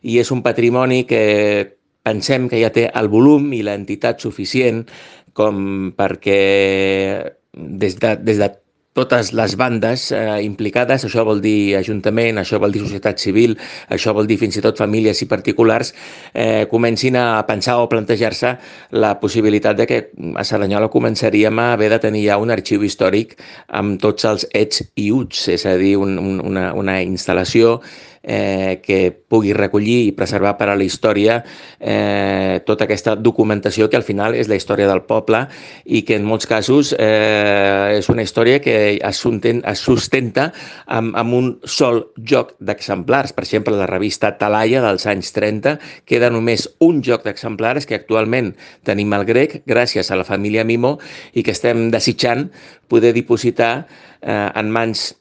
i és un patrimoni que pensem que ja té el volum i l'entitat suficient com perquè des de totes les bandes implicades, això vol dir ajuntament, això vol dir societat civil, això vol dir fins i tot famílies i particulars, comencin a pensar o plantejar-se la possibilitat de que a Cerdanyola començaríem a haver de tenir ja un arxiu històric amb tots els ets i uts, és a dir, una instal·lació que pugui recollir i preservar per a la història tota aquesta documentació que al final és la història del poble i que en molts casos és una història que es sustenta amb un sol joc d'exemplars. Per exemple, la revista Talaia dels anys 30 queda només un joc d'exemplars que actualment tenim al grec gràcies a la família Mimo i que estem desitjant poder dipositar en mans